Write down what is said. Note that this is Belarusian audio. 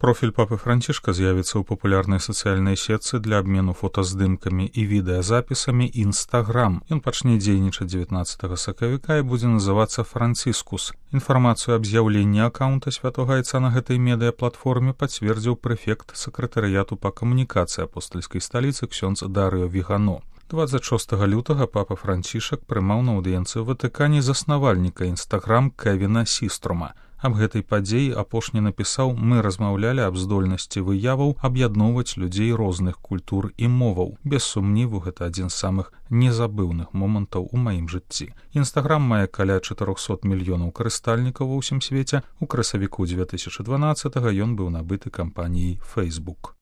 Профіль папы Францішка з'явіцца ў папулярнай сацыяльнай сетцы для абмену фотаздымкамі і відэазапісамі Instagram. Ён пачне дзейнічаць 19 сакавіка і будзе называцца Францискус. Інфармацыю аб з'яўленні акаунта святога айца на гэтай медыяплатформе пацвердзіў прэфект сакратарыяту па камунікацыі апостальскай сталіцы ксёндз Дарыо Вігано. 26 лютага папа Францішак прымаў на аўдыенцыі ў Ватыкане заснавальніка Instagram Кевіна Сіструма. Аб гэтай падзеі апошні напісаў: «Мы размаўлялі аб здольнасці выяваў аб'ядноўваць людзей розных культур і моваў. Без сумніву, гэта адзін з самых незабыўных момантаў у маім жыцці». Інстаграм мае каля 400 мільёнаў карыстальнікаў ва ўсім свеце. У красавіку 2012 ён быў набыты кампаніяй Facebook.